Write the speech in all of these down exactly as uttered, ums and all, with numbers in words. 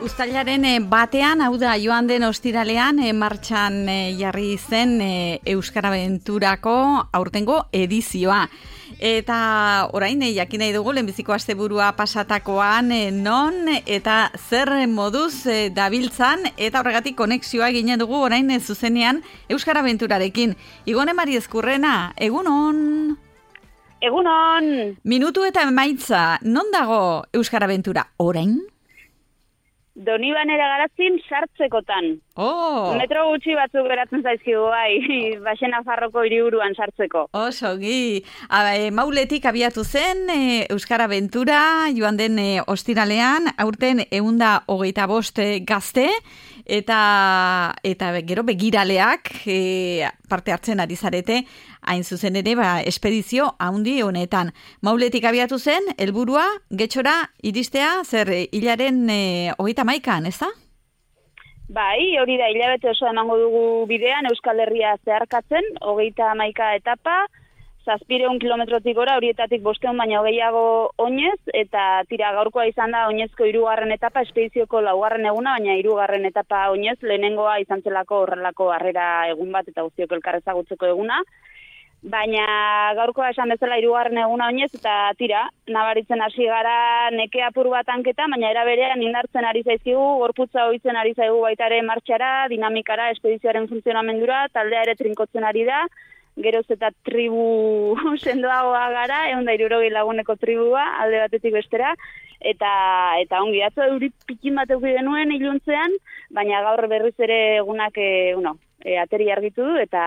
Uztailaren batean, hau da joan den ostiralean, e, martxan e, jarri zen e, Euskara Abenturako aurtengo edizioa. Eta orain, e, jakin nahi dugu, lehenbiziko asteburua pasatakoan, e, non eta zer moduz e, dabiltzan, eta horregatik konexioa ginen dugu orain e, zuzenean Euskara Abenturarekin. Igone Mari Ezkurrena, egunon! Egunon! Minutu eta emaitza, non dago Euskara Abentura orain? Donibanera garazin sartzekotan. Oh. Metro gutxi batzuk geratzen zaizkigu bai, Baxena Farroko hiriburuan sartzeko. Oso, gi. E, Mauletik abiatu zen e, Euskara Abentura joan den e, ostiralean, aurten ehunda hogeita bost gazte, eta eta gero begiraleak e, parte hartzen ari zarete, hain zuzen ere, ba, espedizio haundi honetan. Mauletik abiatu zen, helburua getxora iristea, zer hilaren e, hogeita maikan, ez da? Bai, hori da, hilabete oso emango dugu bidean, Euskal Herria zeharkatzen, hogeita hamaika etapa, zazpireun kilometrotik gora, horietatik bosteun baina hogeiago oinez, eta tira gaurkoa izan da oinezko hirugarren etapa, espedizioko laugarren eguna, baina hirugarren etapa oinez, lehenengoa izan zelako horrelako harrera egun bat, eta guztiok elkarrezagutzeko eguna. Baina gaurkoa esan bezala hirugarren eguna oinez, eta tira, nabaritzen hasi gara neke apur bat hanketa, baina era berean indartzen ari zaizkigu, gorputza ohitzen ari zaigu baitare martxara, dinamikara, espedizioaren funtzionamendura, taldea ere trinkotzen ari da, geroz eta tribu sendoagoa gara, ehun da hirurogei laguneko tribua, alde batetik bestera, eta eta ongi, atzo euri pikin bat eduki genuen iluntzean, baina gaur berriz ere egunak, e, uno, E, ateri argitu du, eta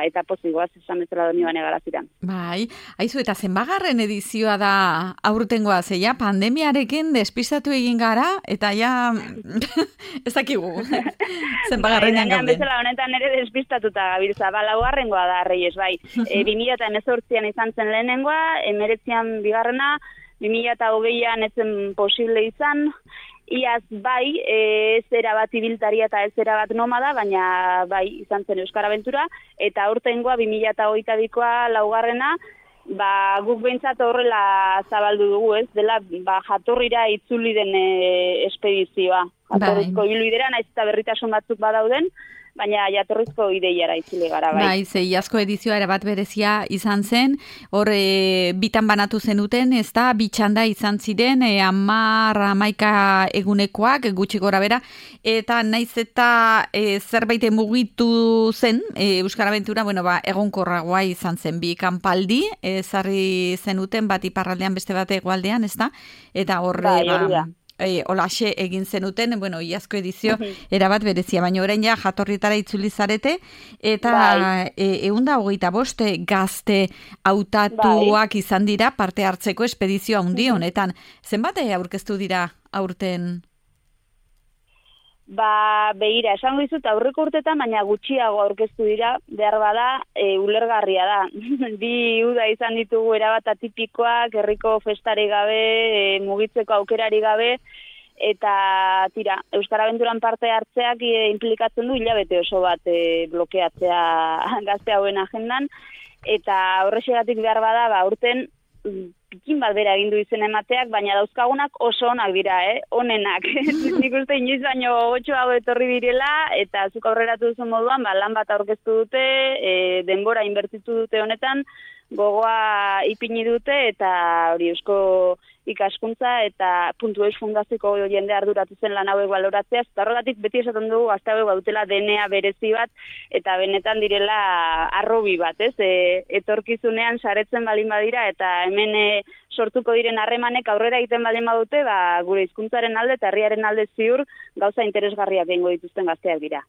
eta pozigoaz esan bezala Donibane garaziran. Bai, haizu, eta zenbagarren edizioa da aurtengoa, zeia, pandemiarekin despistatu egin gara, eta ja, ez dakigu, zenbagarrenean gauden. Bezala honetan ere despistatuta gabiltza, ba, laugarrengoa da, Reyes, bai. E, bi mila hemezortzian izan zen lehenengoa, hemeretzian bigarrena, bi mila hogeian ez zen posible izan, iaz bai, ez erabat ibiltaria eta ez erabat nomada, baina bai izan zen Euskara Abentura, eta aurtengoa bi mila hogeita bikoa laugarrena, ba, guk behintzat horrela zabaldu dugu, ez, dela ba, jatorrira itzuli den e, espedizioa. Jatorrizko ibilbidera, naiz eta berritasun batzuk badauden, baina jatorrizko ideiara itzuli gara, bai. Bai, ze iazko edizioa erabat berezia izan zen, hor e, bitan banatu zenuten, ez da, bitxanda izan ziren, e, amar, amaika egunekoak, gutxi gora bera, eta naiz eta e, zerbait mugitu zen, e, Euskara Abentura, bueno, ba, egonkorragoa izan zen, bi kanpaldi, ezarri zenuten, bat iparraldean beste bat hegoaldean, ez da, eta horre, bai, ba, E, olaxe egin zenuten, bueno, iazko edizio erabat berezia, baina orain ja jatorritara itzuli zarete, eta bai. e, ehunda hogeita boste gazte hautatuak bai. Izan dira parte hartzeko espedizio handi honetan. Zenbat aurkeztu dira aurten? Ba, behira, esango dizut aurreko urtetan, baina gutxiago aurkeztu dira, behar bada, e, ulergarria da. Bi uda izan ditugu erabat atipikoak, herriko festari gabe, e, mugitzeko aukerari gabe, eta tira, Euskara Abenturan parte hartzeak e, implikatzen du hilabete oso bat e, blokeatzea gazte hauen agendan, eta horrexegatik behar bada, ba, urten, pikin bat bera egin du izen emateak, baina dauzkagunak oso onak dira, eh? Onenak. Nik uste inoiz baino gotxoago etorri direla, eta zuk aurreratu duzu moduan, ba, lan bat aurkeztu dute, e, denbora inbertitu dute honetan, gogoa ipini dute, eta hori eusko ikaskuntza eta puntu eus fundaziko jende arduratu zen lan hauek baloratzea, eta horregatik beti esaten dugu gazte hauek badutela D N A berezi bat, eta benetan direla arrobi bat, ez? E, etorkizunean saretzen balin badira, eta hemen e, sortuko diren harremanek aurrera egiten baldin badute, ba, gure hizkuntzaren alde eta herriaren alde ziur gauza interesgarriak egingo dituzten gazteak dira.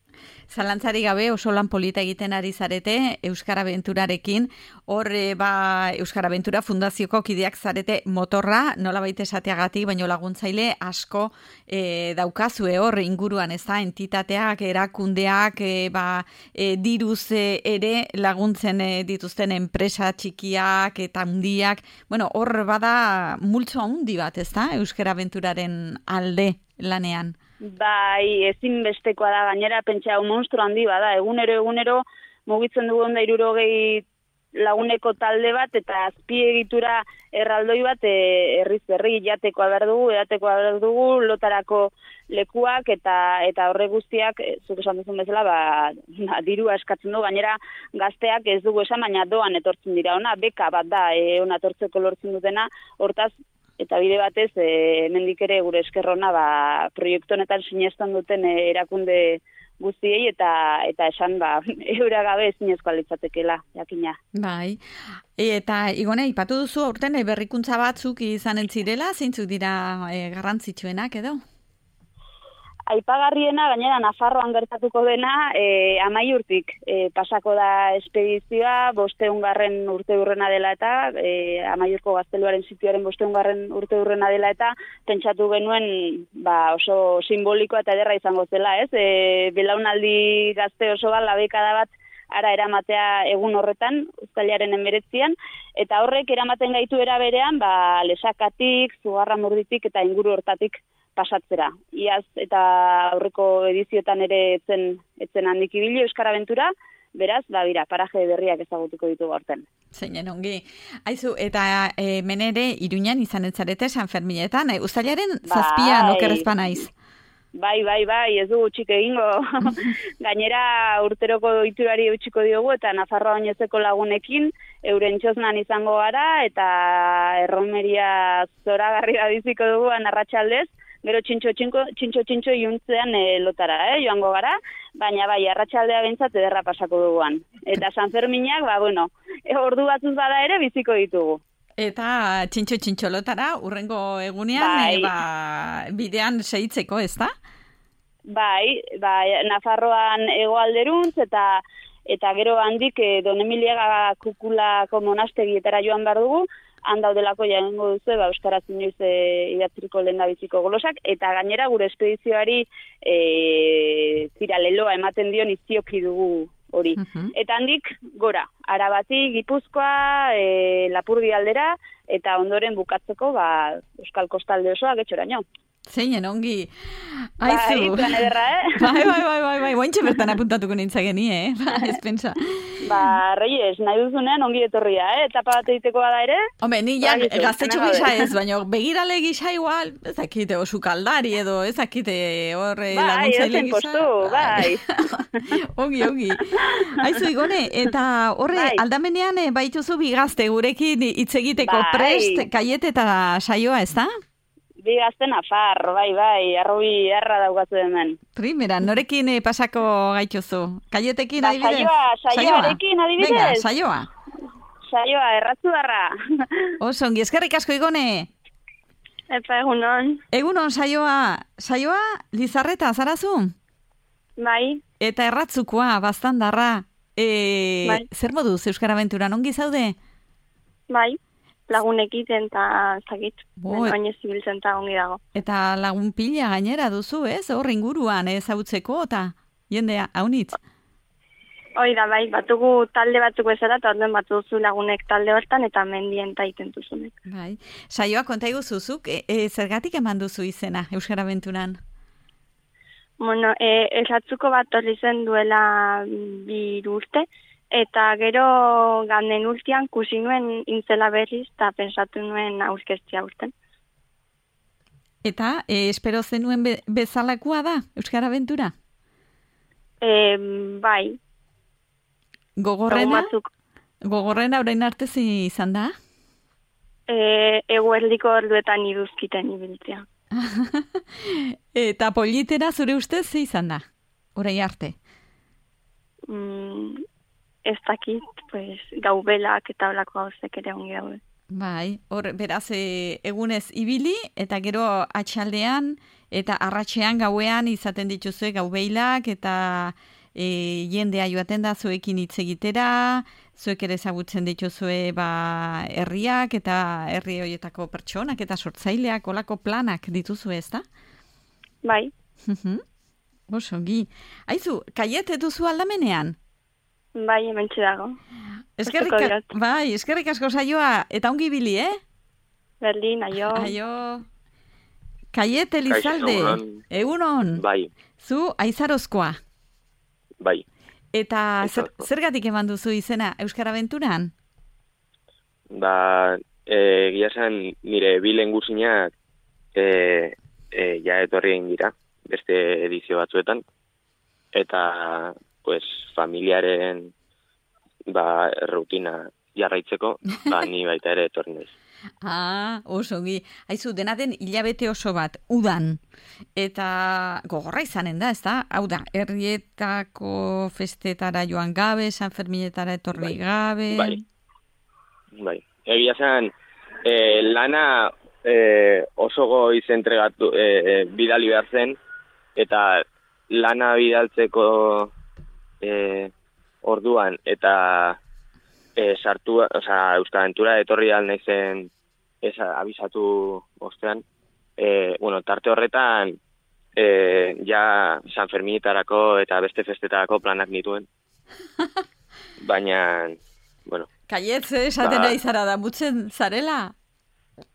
Zalantzari gabe oso lan polita egiten ari zarete Euskara Abenturarekin, hor e, ba, Euskara Abentura fundazioko kideak zarete motorra, nola baita esateagatik, baino laguntzaile asko e, daukazue hor inguruan, ez da, entitateak, erakundeak, e, ba, e, diruz e, ere laguntzen e, dituzten enpresa txikiak eta handiak, bueno, hor bada multzo handi bat, ez da, Euskara Abenturaren alde lanean. Bai, ezinbestekoa da, gainera pentsa hau monstru handi bada, egunero egunero mugitzen dugu onda hirurogei laguneko talde bat eta azpiegitura erraldoi bat e, herriz herri jatekoa behar dugu, edatekoa behar dugu, lotarako lekuak eta eta horre guztiak, zuk esan duzun bezala, ba, dirua eskatzen du, gainera gazteak ez dugu esan, baina doan etortzen dira ona, beka bat da, e, ona etortzeko lortzen dutena, hortaz, eta bide batez, e, hemendik ere gure eskerrona, ba, proiektu honetan sinestan duten e, erakunde guztiei eta eta esan ba eura gabe ezinezkoa litzatekeela jakina. Bai. Eta Igone aipatu duzu aurten berrikuntza batzuk izanen zirela, zeintzuk dira e, garrantzitsuenak edo? Aipagarriena gainera Nafarroan gertatuko dena e, Amaiurtik e, pasako da espedizioa bosteungarren urteurrena dela eta e, Amaiurko gazteluaren sitioaren bosteungarren urteurrena dela eta pentsatu genuen ba, oso simbolikoa eta ederra izango zela, ez? E, belaunaldi gazte oso bat labekada bat ara eramatea egun horretan, uztailaren hemeretzian, eta horrek eramaten gaitu era berean, ba, Lesakatik, Zugarramurditik eta inguru hortatik pasatzera. Iaz eta aurreko edizioetan ere etzen, etzen handik ibili Euskara Abentura, beraz, ba, bira, paraje berriak ezagutuko ditugu aurten. Zeinen ongi. Aizu, eta e, menere Iruñan izan etzarete San Ferminetan, e, uztailaren zazpian okerrezpa naiz. Bai, bai, bai, ez dugu txik egingo. Gainera urteroko iturari eutxiko diogu eta Nafarroa oinezeko lagunekin euren txosnan izango gara eta erromeria zoragarri da biziko dugu arratsaldez. Gero txintxo txintxo, txintxo, txintxo iuntzean e, lotara, eh, joango gara, baina bai, arratsaldea bentsat ederra pasako duguan. Eta San Ferminak, ba, bueno, e, ordu batzuz bada ere biziko ditugu. Eta txintxo txintxo lotara, urrengo egunean, bai. e, ba, bidean segitzeko, ez da? Bai, bai, Nafarroan hegoalderuntz eta eta gero handik e, Don Emiliaga Kukulako monastegietara joan behar dugu, han daudelako jaengo duzu, ba, euskaraz inoiz e, idatziriko lehendabiziko golosak, eta gainera gure espedizioari e, zira leloa ematen dion izioki dugu hori. Uh-huh. Eta handik gora, Arabati, Gipuzkoa, e, Lapurdi aldera, eta ondoren bukatzeko ba, Euskal Kostalde osoa getxoraino. Zeinen ongi. Aizu. Bai, plan ederra, eh? Bai, bai, bai, bai, bai. Bointxe bertan apuntatuko nintzageni, eh? Ba, ez pensa. Ba, Reyes, nahi duzunean ongi etorria, eh? Etapa bat egiteko bada ere? Hombre, ni ja gaztetxo gisa ez, baina begirale gisa igual, ez dakite osu kaldari edo, ez dakite hor laguntzaile gisa. Bai, ez bai. Ongi, ongi. Aizu, Igone, eta horre, bai. Aldamenean baituzu bigazte gurekin hitz egiteko bai. Prest, Kaiet eta Saioa, ez da? Bi gazte Nafar, bai, bai, arrobi erra daukatu hemen. Primera, norekin eh, pasako gaituzu? Kaietekin ba, adibidez? Saioa, saioarekin adibidez. Venga, saioa. Saioa, erratzu darra. Oso, ongi, eskerrik asko Igone. Epa, egunon. Egunon, saioa. Saioa, Lizarreta, zarazu? Bai. Eta erratzukoa, bastandarra. E, bai. Zer moduz, Euskara Abenturan, ongi zaude? Bai. Lagunekiten eta zakit, baina zibiltzen eta ongi dago. Eta lagun pila gainera duzu, ez? Hor inguruan ezagutzeko eta jendea haunitz? Hoi da, bai, batugu talde batzuk bezala, eta orduan batu duzu lagunek talde hortan eta mendien taiten duzunek. Bai. Saioa, konta iguzuzuk, e, e, zergatik eman duzu izena Euskara Abenturan? Bueno, e, esatzuko bat horri zen duela bi urte, eta gero ganden urtean kusi nuen intzela berriz eta pensatu nuen aurkeztia urten. Eta e, espero zenuen be, bezalakoa da Euskara Abentura? E, bai. Gogorrena? Gogorrena orain arte izan da? E, eguerdiko orduetan iduzkiten ibiltzea. Eta politera zure ustez ze izan da? Orain arte? Mm, ez dakit, pues, gaubelak eta olako gauzek ere ongi daude. Bai, hor, beraz, e, egunez ibili, eta gero atxaldean, eta arratsean gauean izaten dituzue gaubeilak, eta e, jendea joaten da zuekin hitz egitera, zuek ere ezagutzen dituzue ba, herriak, eta herri horietako pertsonak, eta sortzaileak, olako planak dituzue, ez da? Bai. Oso, gi. Aizu, Kaiet duzu aldamenean? Bai, hementxe dago. Eskerrik, bai, eskerrik asko saioa, eta ongi bili, eh? Berdin, aio. Aio. Kaiet Elizalde, egunon. Bai. Zu aizarozkoa. Bai. Eta zer, zergatik eman duzu izena Euskara Abenturan? Ba, egia esan nire bilen guzinak e, e, ja etorri egin dira. beste edizio batzuetan, eta pues, familiaren ba, rutina jarraitzeko, ba, ni baita ere etorri naiz. Ah, oso ongi. Aizu, dena den hilabete oso bat, udan. Eta gogorra izanen da, ez da? Hau da, herrietako festetara joan gabe, San Ferminetara etorri bai, gabe... Bai, bai. Egia zen, eh, lana eh, oso goiz entregatu, eh, bidali behar zen, eta lana bidaltzeko eh, orduan, eta E, sartu, osea, Euskaraventura etorri al naizen esa abisatu ostean, e, bueno, tarte horretan e, ja San Ferminetarako eta beste festetarako planak nituen. Baina, bueno. Kaietz, esaten nahi zara da, mutzen zarela?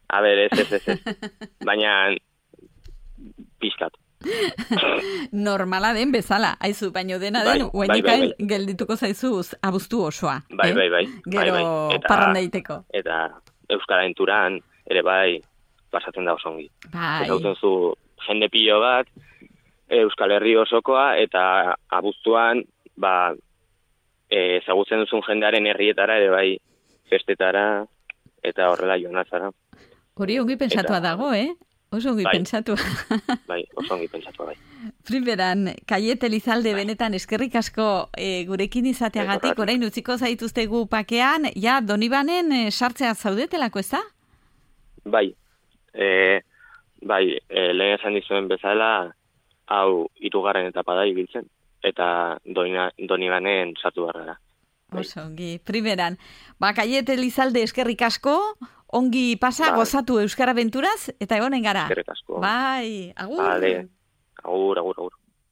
A ber, ez, ez, ez, ez. Baina, pixkat. Normala den bezala, aizu, baino dena den, bai, uenikain bai, bai, bai. geldituko zaizuz abuztu osoa. Bai, eh? bai, bai. Gero bai, bai. Eta, parrandaiteko. Eta Euskaraventuran ere bai pasatzen da osongi. Bai. Ezagutzen zu jende pilo bat, Euskal Herri osokoa, eta abuztuan, ba, e, ezagutzen duzun jendearen herrietara ere bai festetara, eta horrela joan azara. Hori ongi pentsatua eta, dago, eh? Oso ongi bai, pentsatu. Bai, oso ongi pentsatu, bai. Primeran, Kaiet Elizalde bai. Benetan eskerrik asko e, gurekin izateagatik, bai, orain utziko zaituztegu pakean, ja, Donibanen e, sartzea zaudetelako, ez da? Bai, e, bai, e, lehen esan dizuen bezala, hau hirugarren etapa da ibiltzen, eta Donina, Donibanen sartu barrara. Bai. Oso ongi, primeran, ba, Kaiet Elizalde eskerrik asko, ongi pasa, bai, gozatu Euskaraventuraz, eta egonen gara. Eskerrik asko. Bai, agur. Vale. Agur, agur, agur.